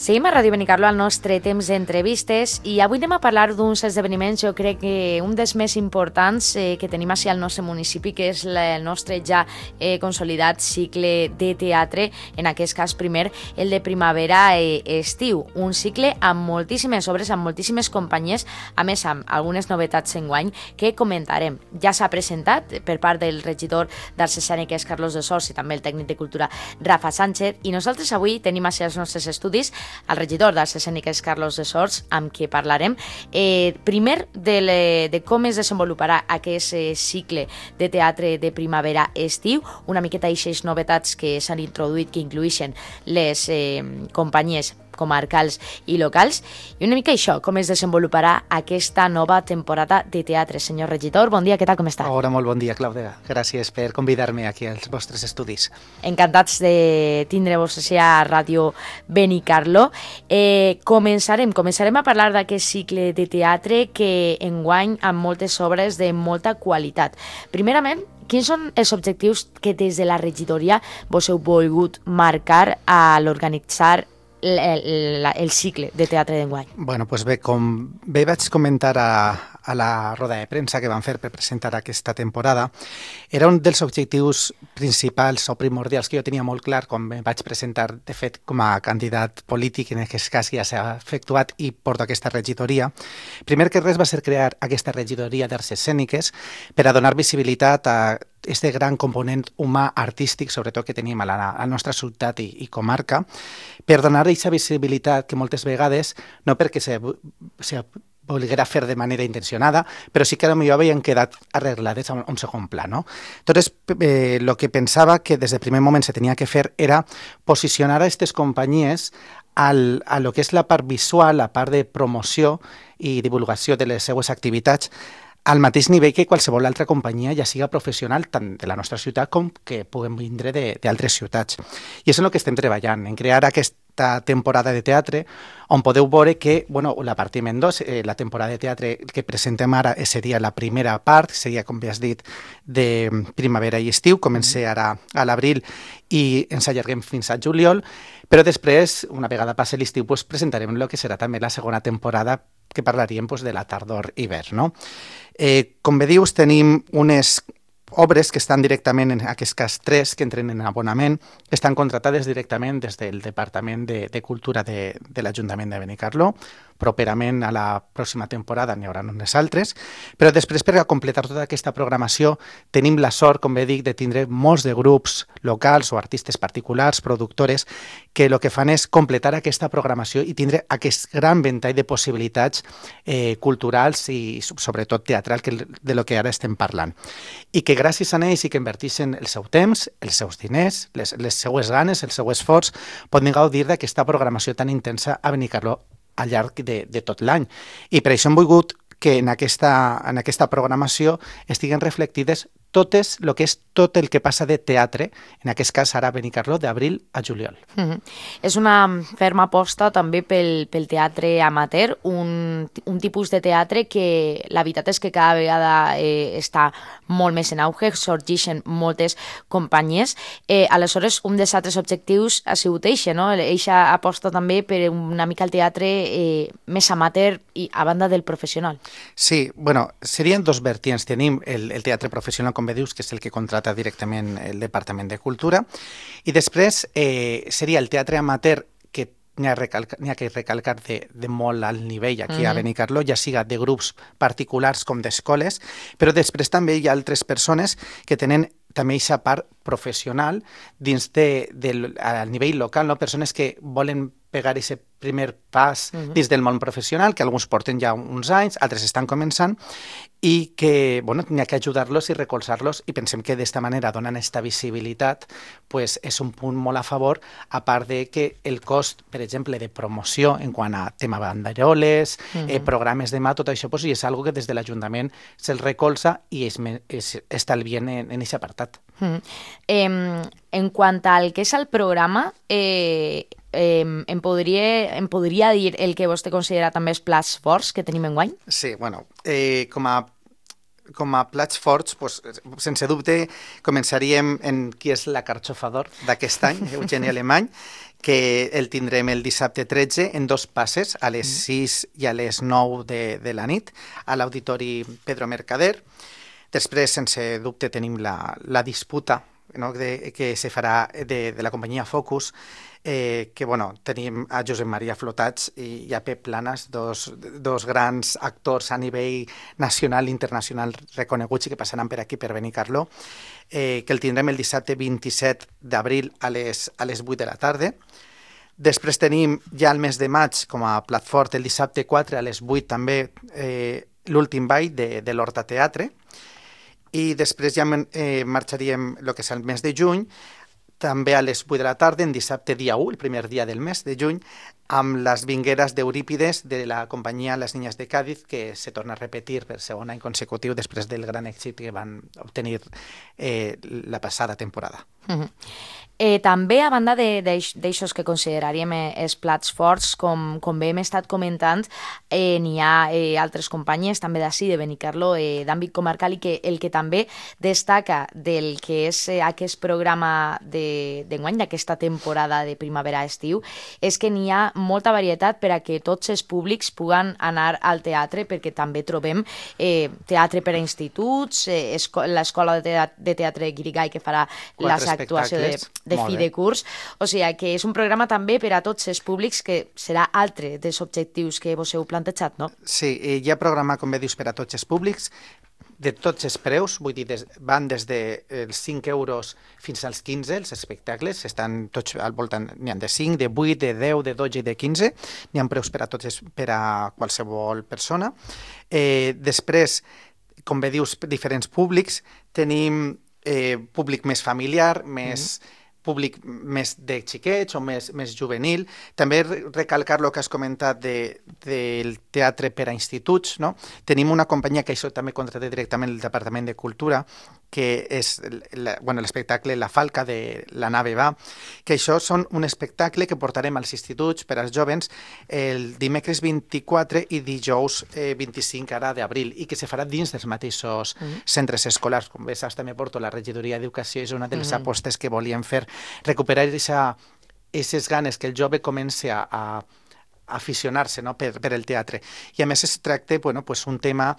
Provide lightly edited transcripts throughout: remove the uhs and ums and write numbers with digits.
Seguim a Ràdio Benicarló al nostre temps d'entrevistes i avui anem a parlar d'uns esdeveniments, jo crec que un dels més importants que tenim així al nostre municipi, que és el nostre ja consolidat cicle de teatre, en aquest cas primer el de primavera-estiu, un cicle amb moltíssimes obres, amb moltíssimes companyies, a més amb algunes novetats enguany que comentarem. Ja s'ha presentat per part del regidor d'Arts Escèniques Carlos de Sors i també el tècnic de cultura Rafa Sánchez, i nosaltres avui tenim així als nostres estudis el regidor d'Arts Escèniques Carlos de Sors, amb qui parlarem primer de com es desenvoluparà aquest cicle de teatre de primavera-estiu, una miqueta d'aixes novetats que s'han introduït, que incluïxen les companyies comarcals i locals, i una mica això, com es desenvoluparà aquesta nova temporada de teatre. Senyor regidor, bon dia, què tal, com està? Hola, molt bon dia, Clàudia. Gràcies per convidar-me aquí als vostres estudis. Encantats de tindre-vos a Ràdio Benicarló. Començarem a parlar d'aquest cicle de teatre que enguany amb moltes obres de molta qualitat. Primerament, quins són els objectius que des de la regidoria vos heu volgut marcar a l'organitzar el cicle de teatre d'enguany? Bueno, doncs bé, com bé vaig comentar a la roda de premsa que vam fer per presentar aquesta temporada, era un dels objectius principals o primordials que jo tenia molt clar quan em vaig presentar, de fet, com a candidat polític, en aquest cas ja s'ha efectuat i porto aquesta regidoria. Primer que res va ser crear aquesta regidoria d'Arts Escèniques per a donar visibilitat a este gran component humà artístic, sobretot que tenim a la nostra ciutat i comarca, per donar aquesta visibilitat que moltes vegades, no perquè se volguera fer de manera intencionada, però sí que potser havien quedat arreglades a un segon pla, no? Entonces, lo que pensava que des del primer moment se tenia que fer era posicionar a aquestes companyies a lo que és la part visual, la part de promoció i divulgació de les seues activitats, al mateix nivell que qualsevol altra companyia, ja siga professional tant de la nostra ciutat com que puguem vindre d'altres ciutats. I és en el que estem treballant, en crear aquesta temporada de teatre, on podeu veure que, bueno, la partiment 2, la temporada de teatre que presentem ara seria la primera part, seria, com bé has dit, de primavera i estiu, comença ara a l'abril i ens allarguem fins a juliol, però després, una vegada passi l'estiu, doncs presentarem el que serà també la segona temporada, que parlaríem de la tardor-hivern, no? Com bé dius, tenim unes obres que estan directament, en aquest cas 3, que entren en abonament, que estan contratades directament des del Departament de Cultura de l'Ajuntament de Benicarló. Properament a la pròxima temporada n'hi haurà unes altres, però després, per a completar tota aquesta programació, tenim la sort, com bé dic, de tindre molts de grups locals o artistes particulars, productores, que el que fan és completar aquesta programació i tindre aquest gran ventall de possibilitats culturals i sobretot teatral de lo que ara estem parlant. I que gràcies a ells i que inverteixen el seu temps, els seus diners, les seues ganes, el seu esforç, poden gaudir d'aquesta programació tan intensa a Benicarló al llarg de tot l'any. I per això hem volgut que en aquesta programació estiguen reflectides totes el que és tot el que passa de teatre, en aquest cas ara a Benicarló, d'abril a juliol. És una ferma aposta també pel teatre amateur, un tipus de teatre que la veritat és que cada vegada està molt més en auge, sorgeixen moltes companyies. Aleshores, un dels altres objectius ha sigut eixa, no? Eixa aposta també per una mica el teatre més amateur i a banda del professional. Sí, bueno, serien dos vertients. Tenim el teatre professional, com bé dius, que és el que contrata directament el Departament de Cultura, i després seria el teatre amateur, que n'hi ha que recalcar de molt alt nivell aquí a Benicarló, ja siga de grups particulars com d'escoles, però després també hi ha altres persones que tenen també aquesta part professional dins al nivell local, no? Persones que volen pegar aquest primer pas dins del món professional, que alguns porten ja uns anys, altres estan començant, i que, bueno, n'hi ha que ajudar-los i recolzar-los, i pensem que d'esta manera, donant aquesta visibilitat, pues, és un punt molt a favor, a part de que el cost, per exemple, de promoció en quant a tema banderoles, programes demà, tot això, pues, és algo que des de l'Ajuntament se'l recolza i estalvien en aquest apartat. En quant al que és el programa, em podria dir el que vostè considera també els plats forts que tenim enguany? Sí, bueno, com a plats forts, pues, sense dubte, començaríem en qui és la carxofador d'aquest any, Eugeni Alemany, que el tindrem el dissabte 13 en 2 passes, a les 6 i a les 9 de la nit, a l'Auditori Pedro Mercader. Després, sense dubte, tenim la disputa, no?, que se farà de la companyia Focus, que tenim a Josep Maria Flotats i a Pep Planas, dos grans actors a nivell nacional i internacional reconeguts i que passaran per aquí, per Benicarló, que el tindrem el dissabte 27 d'abril a les 8 de la tarda. Després tenim ja el mes de maig com a plat fort el dissabte 4 a les 8 també l'últim ball de l'Horta Teatre, i després ja marxaríem el que és el mes de juny, també a les 8 de la tarda, en dissabte dia 1, el primer dia del mes de juny, amb les vingueres d'Eurípides de la companyia Les Niñas de Cádiz, que se torna a repetir per segon any consecutiu després del gran èxit que van obtenir la passada temporada. També, a banda d'aixòs que consideraríem els plats forts, com bé hem estat comentant, n'hi ha altres companyies també d'ací, de Benicarló, d'àmbit comarcal, i que el que també destaca del que és aquest programa d'enguany, d'aquesta temporada de primavera-estiu, és que n'hi ha molta varietat per a que tots els públics puguen anar al teatre, perquè també trobem teatre per a instituts, l'escola de teatre Guirigay, que farà les actuacions de fi de curs, o sigui que és un programa també per a tots els públics, que serà altre dels objectius que vos heu plantejat, no? Sí, hi ha programa, com bé dius, per a tots els públics, de tots els preus, vull dir, van des dels 5 euros fins als 15, els espectacles, estan tots al voltant, n'hi ha de 5, de 8, de 10, de 12 i de 15, n'hi ha preus per a tots, per a qualsevol persona. Després, com bé dius, diferents públics, tenim públic més familiar, més públic més de xiquets o més juvenil. També recalcar el que has comentat del teatre per a instituts, no? Tenim una companyia que això també contracta directament el Departament de Cultura, que és l'espectacle La Falca de la nave va, que això són un espectacle que portarem als instituts per als jovens el dimecres 24 i dijous 25 ara d'abril, i que se farà dins dels mateixos centres escolars. Com bé saps, també porto la regidoria d'Educació, és una de les apostes que volíem fer, recuperar aquestes ganes que el jove comenci a aficionar-se, no?, per el teatre. I a més es tracta un tema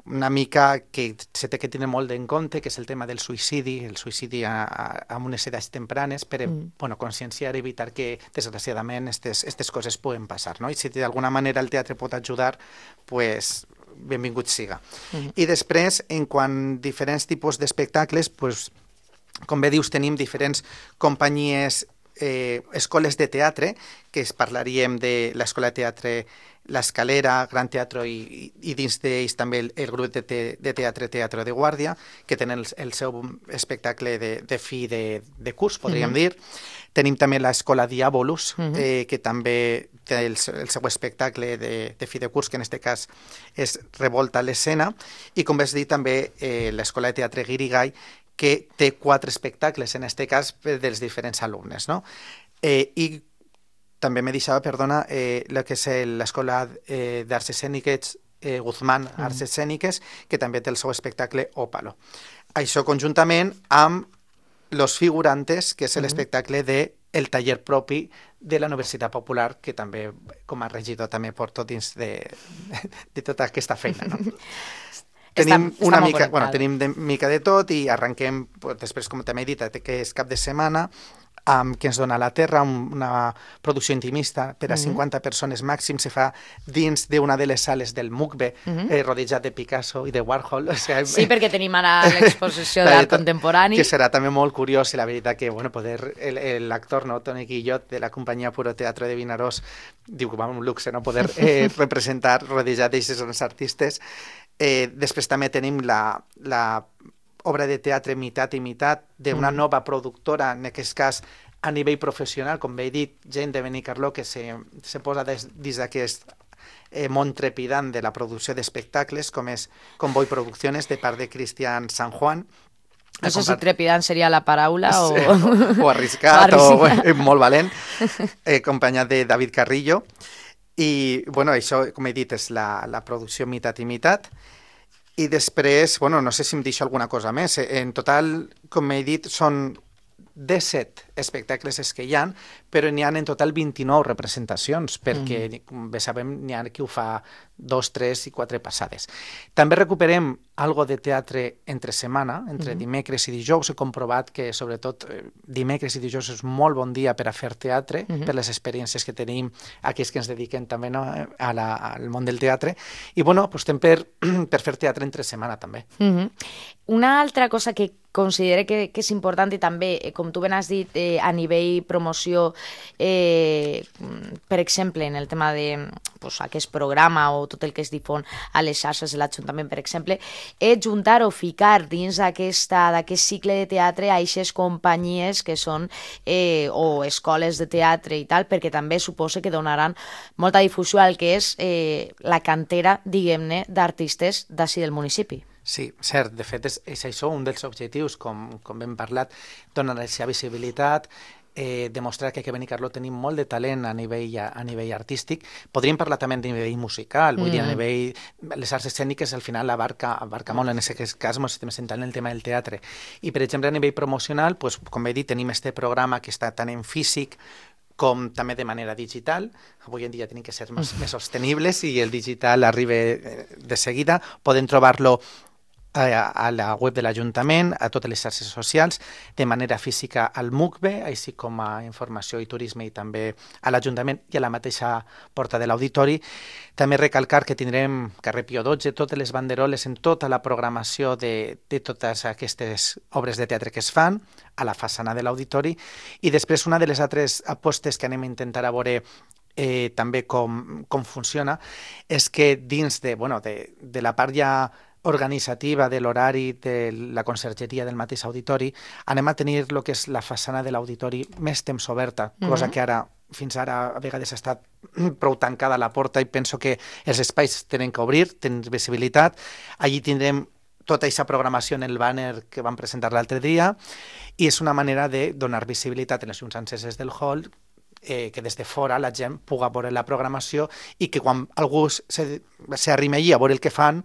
una mica que se té que tenir molt en compte, que és el tema del suïcidi, el suïcidi amb unes edats tempranes, per conscienciar i evitar que, desgraciadament, aquestes coses poden passar, no? I si d'alguna manera el teatre pot ajudar, pues benvingut siga. I després, en quant a diferents tipus d'espectacles, pues, com bé dius, tenim diferents companyies, escoles de teatre, que parlaríem de l'Escola de Teatre l'Escalera, Gran Teatro i dins d'ells també el grup de teatre Teatro de Guàrdia, que tenen el seu espectacle de fi de curs, podríem dir. Tenim també l'Escola Diabolus, que també té el seu espectacle de fi de curs, que en aquest cas és Revolta a l'escena, i com vas dir també l'Escola de Teatre Guirigay, que té 4 espectacles, en aquest cas dels diferents alumnes, no? I també me deixava, perdona, el que és l'Escola d'Arts Escèniques Guzmán Arts Escèniques, que també té el seu espectacle Ópalo. Això conjuntament amb Los Figurantes, que és l'espectacle del taller propi de la Universitat Popular, que també, com a regidor, també porto dins de tota aquesta feina, no? Tenim de mica de tot i arrenquem, després, com també he dit, que és cap de setmana, que ens dona la Terra, una producció intimista per a 50 persones màxim, se fa dins d'una de les sales del MUCBE, rodejat de Picasso i de Warhol. Sí, perquè tenim ara l'exposició d'art contemporani. Que serà també molt curiós, i la veritat que poder l'actor, Toni Guillot, de la companyia Puro Teatro de Vinaròs, diu que va un luxe, poder representar rodejat d'aquests artistes. Després també tenim la obra de teatre Mitat i Mitat, d'una nova productora, en aquest cas a nivell professional, com bé he dit, gent de Benicarló que se posa dins d'aquest món trepidant de la producció d'espectacles, com és Convoy Producciones, de part de Cristian San Juan. No sé si trepidant seria la paraula o arriscat, o molt valent, acompanyat de David Carrillo. I, això, com he dit, és la producció Mitat i Mitat. I després, no sé si em deixo alguna cosa més. En total, com he dit, són 17 espectacles és que hi ha, però n'hi ha en total 29 representacions, perquè, com bé sabem, n'hi ha qui ho fa 2, 3 i 4 passades. També recuperem algo de teatre entre setmana, entre dimecres i dijous. He comprovat que, sobretot, dimecres i dijous és molt bon dia per a fer teatre, per les experiències que tenim aquells que ens dediquem també, no, al món del teatre. I, bueno, apostem per fer teatre entre setmana, també. Una altra cosa que considero que és important i també, com tu ben has dit, a nivell promoció, per exemple, en el tema de aquest programa o tot el que es difon a les xarxes de l'Ajuntament, per exemple, és juntar o ficar dins d'aquest cicle de teatre a aquestes companyies que són o escoles de teatre i tal, perquè també suposa que donaran molta difusió al que és la cantera, diguem-ne, d'artistes d'ací del municipi. Sí, cert. De fet, és això un dels objectius, com hem parlat, donar aquesta visibilitat, demostrar que aquí a Benicarló tenim molt de talent a nivell artístic. Podríem parlar també a nivell musical, vull dir, a nivell... Les arts escèniques al final abarca molt, en aquest cas ens estem centrant en el tema del teatre. I, per exemple, a nivell promocional, com he dit, tenim este programa que està tant en físic com també de manera digital. Avui en dia tenim que ser més sostenibles i el digital arriba de seguida. Podem trobar-lo a la web de l'Ajuntament, a totes les xarxes socials, de manera física al MUCBE, així com a Informació i Turisme i també a l'Ajuntament i a la mateixa porta de l'auditori. També recalcar que tindrem carrer Pío XII, totes les banderoles en tota la programació de totes aquestes obres de teatre que es fan a la façana de l'auditori. I després una de les altres apostes que anem a intentar a veure també com funciona és que dins de la part ja organitzativa de l'horari de la consergeria del mateix auditori, anem a tenir el que és la façana de l'auditori més temps oberta, cosa que fins ara a vegades ha estat prou tancada la porta i penso que els espais tenen que obrir, tenen visibilitat. Allí tindrem tota aquesta programació en el banner que vam presentar l'altre dia i és una manera de donar visibilitat en les llums enceses del hall, que des de fora la gent pugui veure la programació i que quan algú s'arrima allí a veure el que fan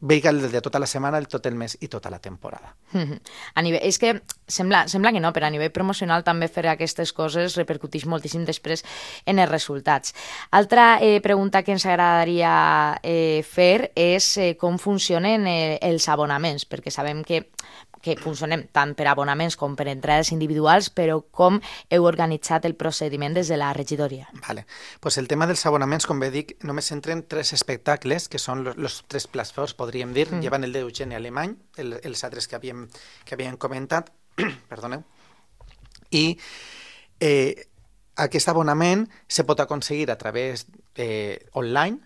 veig el de tota la setmana, tot el mes i tota la temporada. És que sembla que no, però a nivell promocional també fer aquestes coses repercuteix moltíssim després en els resultats. Altra pregunta que ens agradaria fer és com funcionen els abonaments, perquè sabem que funcionem tant per abonaments com per entrades individuals, però com heu organitzat el procediment des de la regidoria? Vale. Pues el tema dels abonaments, com bé dic, només entren 3 espectacles, que són els 3 plats forts, podríem dir. Llevan el d'Eugeni Alemany, els altres que havíem comentat, perdoneu. I aquest abonament se pot aconseguir a través online.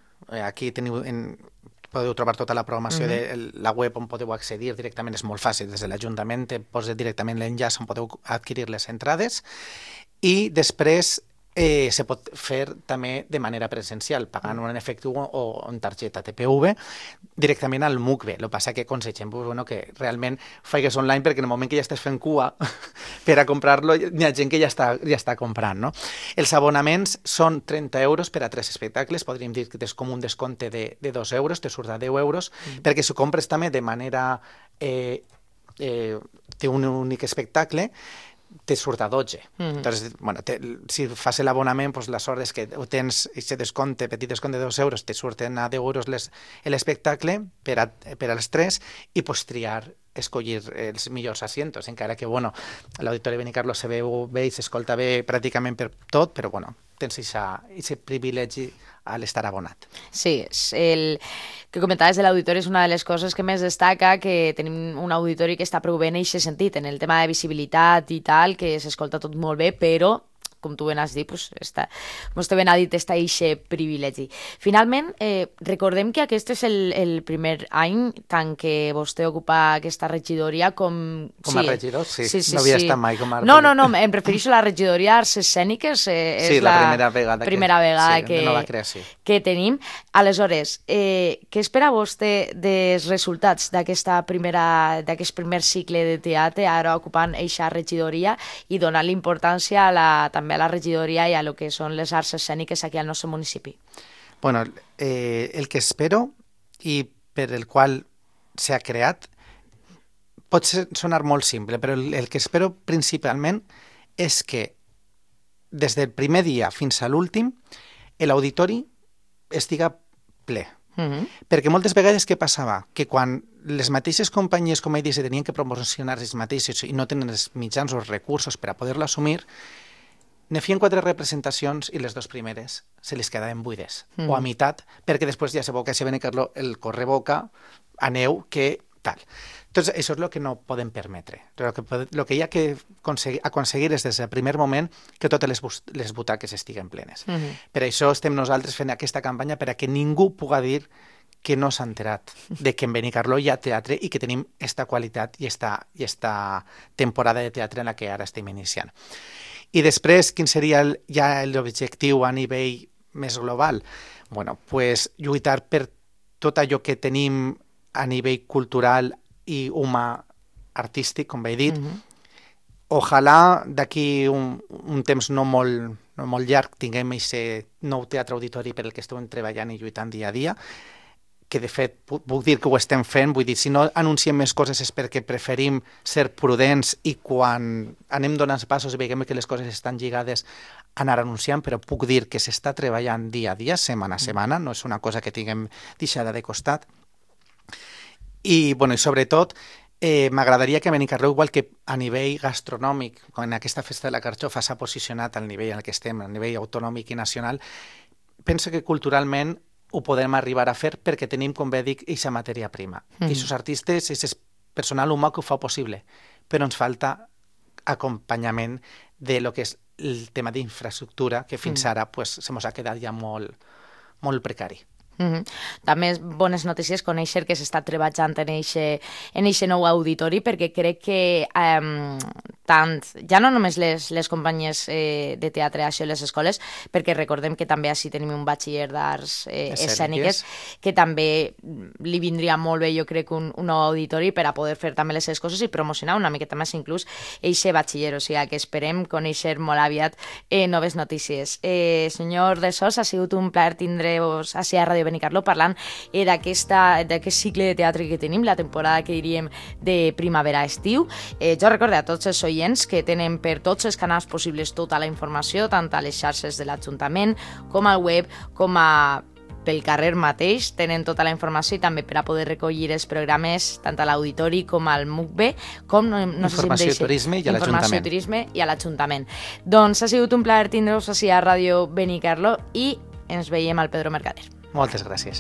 Aquí podeu trobar tota la programació de la web on podeu accedir directament, és molt fàcil, des de l'Ajuntament te posa directament l'enllaç on podeu adquirir les entrades i després se pot fer també de manera presencial, pagant en efectiu o en targeta TPV directament al MUCBE. El que passa que aconsegem que realment faigues online perquè en el moment que ja estàs fent cua per a comprar-lo hi ha gent que ja està comprant, no? Els abonaments són 30 euros per a 3 espectacles, podríem dir que és com un descompte de 2 euros, te surt a 10 euros, perquè si ho compres també de manera té un únic espectacle, te surt a 12. Entonces, si fas l'abonament, la sort és que tens aquest descompte, petit descompte de 2 euros, te surten a 10 euros l'espectacle per als 3 i pots triar, escollir els millors asientos, encara que l'Auditori Benicarló se veu bé i s'escolta bé pràcticament per tot, però tens aquest privilegi a l'estar abonat. Sí, el que comentaves de l'auditori és una de les coses que més destaca, que tenim un auditori que està prou bé en aquest sentit, en el tema de visibilitat i tal, que s'escolta tot molt bé, però com tu ben has dit, vostè ben ha dit, està aquest privilegi. Finalment, recordem que aquest és el primer any tant que vostè ocupa aquesta regidoria com... Com a regidor, sí. No havia estat mai com a... No, em refereixo a la regidoria d'Arts Escèniques. Sí, la primera vegada de nova creació que tenim. Aleshores, què espera vostè dels resultats d'aquest primer cicle de teatre, ara ocupant aquesta regidoria i donant l'importància també a la regidoria i a lo que són les arts escèniques aquí al nostre municipi? Bueno, el que espero i per el qual s'ha creat, pot sonar molt simple, però el que espero principalment és que des del primer dia fins a l'últim l'auditori estiga ple. Perquè moltes vegades què passava? Que quan les mateixes companyies, com he dit, se tenien que promocionar ells mateixos i no tenen els mitjans o els recursos per a poder-lo assumir, ne feien 4 representacions i les 2 primeres se les quedaven buides, o a meitat, perquè després ja sabeu que si Benicarló el correboca, aneu que tal. Entonces, això és el que no podem permetre. El que hi ha que aconseguir és des del primer moment que totes les butaques estiguen plenes. Per això estem nosaltres fent aquesta campanya per a que ningú puga dir que no s'ha enterat de que en Benicarló hi ha teatre i que tenim esta qualitat i esta temporada de teatre en la que ara estem iniciant. I després, quin seria ja l'objectiu a nivell més global? Bueno, pues lluitar per tot allò que tenim a nivell cultural i humà artístic, com he dit. Ojalà d'aquí un temps no molt llarg tinguem aquest nou teatre auditori per el que estem treballant i lluitant dia a dia, que de fet puc dir que ho estem fent, vull dir, si no anunciem més coses és perquè preferim ser prudents i quan anem donant passos i veiem que les coses estan lligades anar anunciant, però puc dir que s'està treballant dia a dia, setmana a setmana, no és una cosa que tinguem deixada de costat. I, bueno, i sobretot, m'agradaria que Benicarló, igual que a nivell gastronòmic, quan aquesta festa de la carxofa s'ha posicionat al nivell en què estem, a nivell autonòmic i nacional, penso que culturalment ho podem arribar a fer perquè tenim, com bé dic, aquesta matèria prima. I aquests artistes, aquest personal humà que ho fa possible, però ens falta acompanyament de lo que és el tema d'infraestructura, que fins ara pues, se mos ha quedat ja molt precari. També bones notícies conèixer que s'està treballant en eixe nou auditori, perquè crec que tant, ja no només les companyies de teatre això les escoles, perquè recordem que també així tenim un batxiller d'arts escèniques, que també li vindria molt bé, jo crec, un nou auditori per a poder fer també les seves coses i promocionar una miqueta més inclús eixe batxiller, o sigui que esperem conèixer molt aviat noves notícies. Senyor de Sos, ha sigut un plaer tindre-vos així a Ràdio Benicarló parlant d'aquest cicle de teatre que tenim, la temporada que diríem de primavera-estiu. Jo recordo a tots els oients que tenen per tots els canals possibles tota la informació, tant a les xarxes de l'Ajuntament com al web, com pel carrer mateix, tenen tota la informació i també per a poder recollir els programes tant a l'Auditori com al MUCB, com Informació, Turisme i a l'Ajuntament. Informació, Turisme i a l'Ajuntament. Doncs ha sigut un plaer tindre-vos així a Ràdio Benicarló i ens veiem al Pedro Mercader. Moltes gràcies.